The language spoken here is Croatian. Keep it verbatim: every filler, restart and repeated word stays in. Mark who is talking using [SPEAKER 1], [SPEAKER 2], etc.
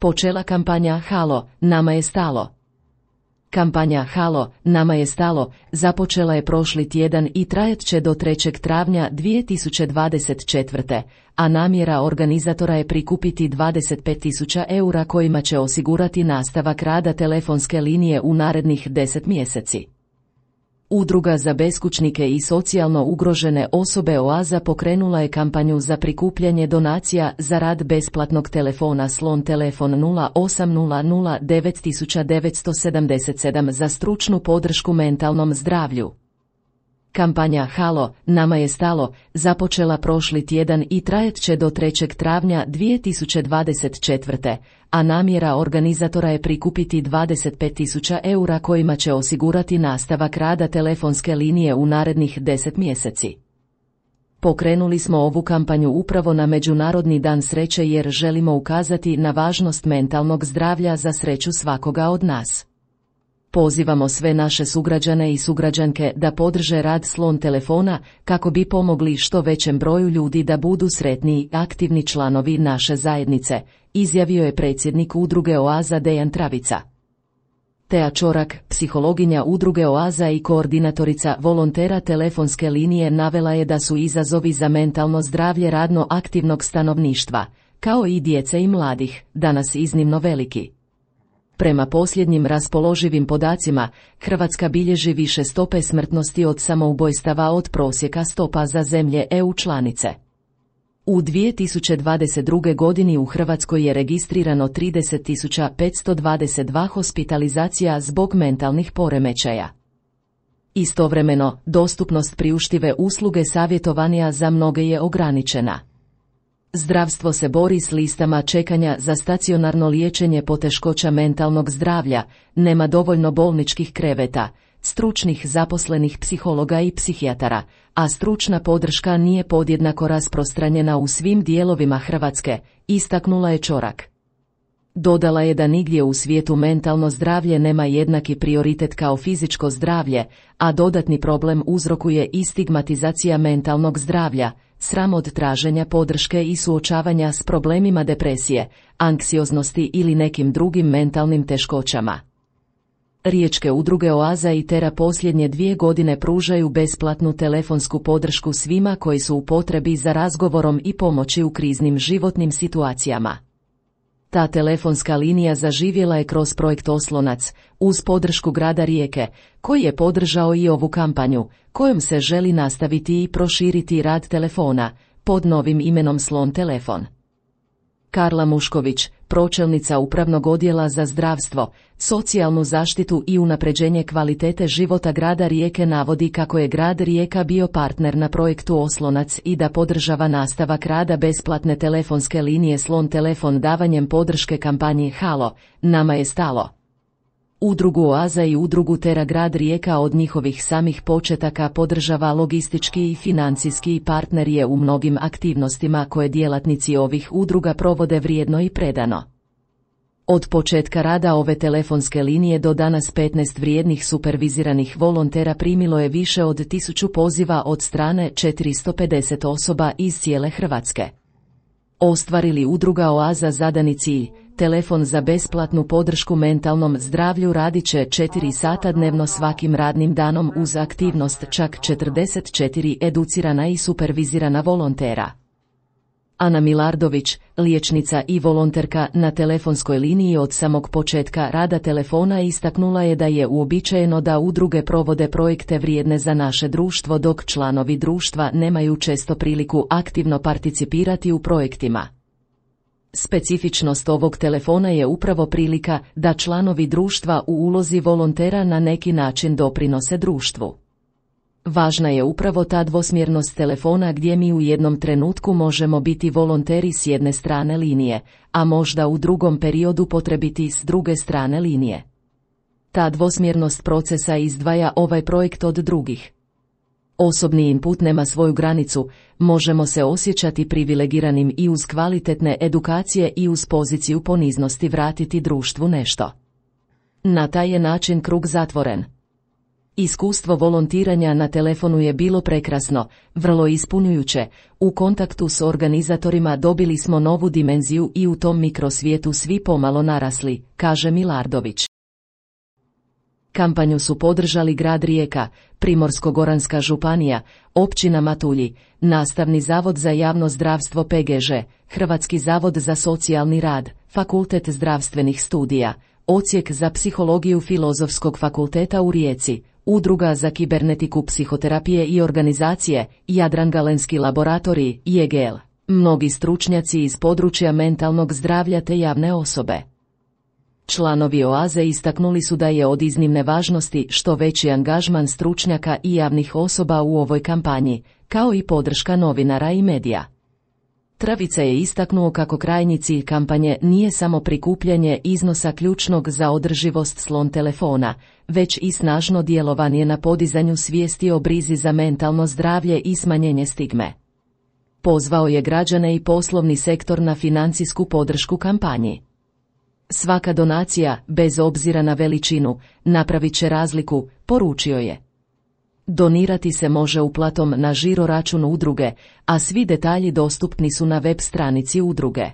[SPEAKER 1] Počela kampanja Halo, nama je stalo. Kampanja Halo, nama je stalo započela je prošli tjedan i trajat će do trećeg travnja dvije tisuće dvadeset četvrte. a namjera organizatora je prikupiti dvadeset pet tisuća eura kojima će osigurati nastavak rada telefonske linije u narednih deset mjeseci. Udruga za beskućnike i socijalno ugrožene osobe Oaza pokrenula je kampanju za prikupljanje donacija za rad besplatnog telefona Slon telefon nula osam nula nula devet devet sedam sedam za stručnu podršku mentalnom zdravlju. Kampanja Halo, nama je stalo započela prošli tjedan i trajat će do trećeg travnja dvije tisuće dvadeset četvrte. a namjera organizatora je prikupiti dvadeset pet tisuća eura kojima će osigurati nastavak rada telefonske linije u narednih deset mjeseci. Pokrenuli smo ovu kampanju upravo na Međunarodni dan sreće jer želimo ukazati na važnost mentalnog zdravlja za sreću svakoga od nas. Pozivamo sve naše sugrađane i sugrađanke da podrže rad Slon telefona kako bi pomogli što većem broju ljudi da budu sretni i aktivni članovi naše zajednice, izjavio je predsjednik udruge Oaza Dejan Travica. Tea Čorak, psihologinja udruge Oaza i koordinatorica volontera telefonske linije, navela je da su izazovi za mentalno zdravlje radno aktivnog stanovništva, kao i djece i mladih, danas iznimno veliki. Prema posljednjim raspoloživim podacima, Hrvatska bilježi više stope smrtnosti od samoubojstava od prosjeka stopa za zemlje E U članice. U dvije tisuće dvadeset druge. godini u Hrvatskoj je registrirano trideset tisuća petsto dvadeset dva hospitalizacija zbog mentalnih poremećaja. Istovremeno, dostupnost priuštive usluge savjetovanja za mnoge je ograničena. Zdravstvo se bori s listama čekanja za stacionarno liječenje poteškoća mentalnog zdravlja, nema dovoljno bolničkih kreveta, stručnih zaposlenih psihologa i psihijatara, a stručna podrška nije podjednako rasprostranjena u svim dijelovima Hrvatske, istaknula je Čorak. Dodala je da nigdje u svijetu mentalno zdravlje nema jednaki prioritet kao fizičko zdravlje, a dodatni problem uzrokuje i stigmatizacija mentalnog zdravlja, sram od traženja podrške i suočavanja s problemima depresije, anksioznosti ili nekim drugim mentalnim teškoćama. Riječke udruge Oaza i Tera posljednje dvije godine pružaju besplatnu telefonsku podršku svima koji su u potrebi za razgovorom i pomoći u kriznim životnim situacijama. Ta telefonska linija zaživjela je kroz projekt Oslonac, uz podršku grada Rijeke, koji je podržao i ovu kampanju, kojom se želi nastaviti i proširiti rad telefona, pod novim imenom Slon telefon. Karla Mušković, pročelnica Upravnog odjela za zdravstvo, socijalnu zaštitu i unapređenje kvalitete života grada Rijeke, navodi kako je grad Rijeka bio partner na projektu Oslonac i da podržava nastavak rada besplatne telefonske linije Slon telefon davanjem podrške kampanji Halo, nama je stalo. Udrugu Oaza i udrugu Tera grad Rijeka od njihovih samih početaka podržava logistički i financijski, partner je u mnogim aktivnostima koje djelatnici ovih udruga provode vrijedno i predano. Od početka rada ove telefonske linije do danas petnaest vrijednih superviziranih volontera primilo je više od tisuću poziva od strane četiristo pedeset osoba iz cijele Hrvatske. Ostvarili udruga Oaza zadani cilj, telefon za besplatnu podršku mentalnom zdravlju radit će četiri sata dnevno svakim radnim danom uz aktivnost čak četrdeset četiri educirana i supervizirana volontera. Ana Milardović, liječnica i volonterka na telefonskoj liniji od samog početka rada telefona, istaknula je da je uobičajeno da udruge provode projekte vrijedne za naše društvo dok članovi društva nemaju često priliku aktivno participirati u projektima. Specifičnost ovog telefona je upravo prilika da članovi društva u ulozi volontera na neki način doprinose društvu. Važna je upravo ta dvosmjernost telefona gdje mi u jednom trenutku možemo biti volonteri s jedne strane linije, a možda u drugom periodu potrebiti s druge strane linije. Ta dvosmjernost procesa izdvaja ovaj projekt od drugih. Osobni input nema svoju granicu, možemo se osjećati privilegiranim i uz kvalitetne edukacije i uz poziciju poniznosti vratiti društvu nešto. Na taj je način krug zatvoren. Iskustvo volontiranja na telefonu je bilo prekrasno, vrlo ispunjujuće. U kontaktu s organizatorima dobili smo novu dimenziju i u tom mikrosvijetu svi pomalo narasli, kaže Milardović. Kampanju su podržali grad Rijeka, Primorsko-goranska županija, općina Matulji, Nastavni zavod za javno zdravstvo P G Ž, Hrvatski zavod za socijalni rad, Fakultet zdravstvenih studija, Odsjek za psihologiju Filozofskog fakulteta u Rijeci, Udruga za kibernetiku psihoterapije i organizacije, Jadran Galenski laboratorij, J G L, mnogi stručnjaci iz područja mentalnog zdravlja te javne osobe. Članovi Oaze istaknuli su da je od iznimne važnosti što veći angažman stručnjaka i javnih osoba u ovoj kampanji, kao i podrška novinara i medija. Travica je istaknuo kako krajnji cilj kampanje nije samo prikupljanje iznosa ključnog za održivost slon telefona, već i snažno djelovanje na podizanju svijesti o brizi za mentalno zdravlje i smanjenje stigme. Pozvao je građane i poslovni sektor na financijsku podršku kampanji. Svaka donacija, bez obzira na veličinu, napravit će razliku, poručio je. Donirati se može uplatom na žiro račun udruge, a svi detalji dostupni su na web stranici udruge.